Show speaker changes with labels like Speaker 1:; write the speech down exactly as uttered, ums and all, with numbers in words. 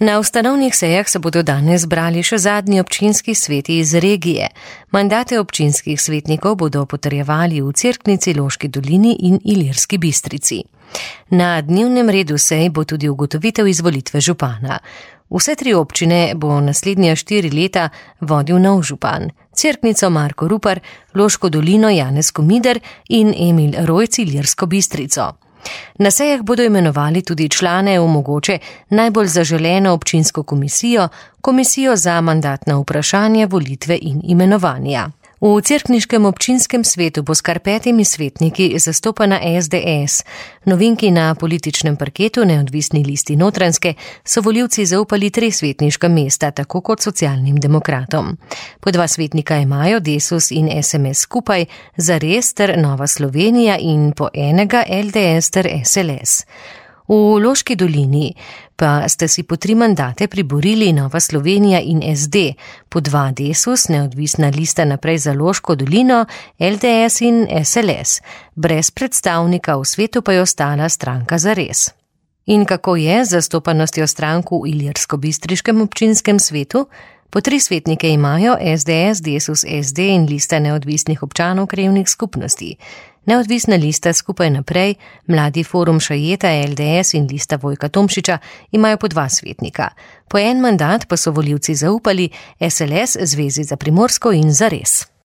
Speaker 1: Na ustanovnih sejah se bodo danes zbrali še zadnji občinski sveti iz regije. Mandate občinskih svetnikov bodo potrjevali v Cerknici, Loški dolini in Ilirski Bistrici. Na dnevnem redu sej bo tudi ugotovitev izvolitve župana. Vse tri občine bo naslednja štiri leta vodil nov župan. Cerknico Marko Rupar, Loško dolino Janez Komider in Emil Rojc Ilirsko Bistrico. Na sejah bodo imenovali tudi člane v mogoče najbolj zaželeno občinsko komisijo, komisijo za mandatna vprašanja, volitve in imenovanja. V cerkniškem občinskem svetu bo s kar petimi svetniki zastopana es de es. Novinki na političnem parketu Neodvisni listi Notranjske so volivci zaupali tri svetniška mesta, tako kot socialnim demokratom. Po dva svetnika imajo Desus in es em es skupaj, Zares ter Nova Slovenija in po enega el de es ter es el es. V Loški dolini pa sta si po tri mandate priborili Nova Slovenija in es de, po dva Desus, Neodvisna lista Naprej za Loško dolino, el de es in es el es. Brez predstavnika v svetu pa je ostala stranka Zares. In kako je z zastopanostjo strank v Ilirsko-bistriškem občinskem svetu? Po tri svetnike imajo es de es, Desus, es de in lista neodvisnih občanov krajevnih skupnosti. Neodvisna lista Skupaj naprej, Mladi forum Šajeta, el de es in lista Vojka Tomšiča imajo po dva svetnika. Po en mandat pa so volivci zaupali es el es, Zvezi za Primorsko in Zares.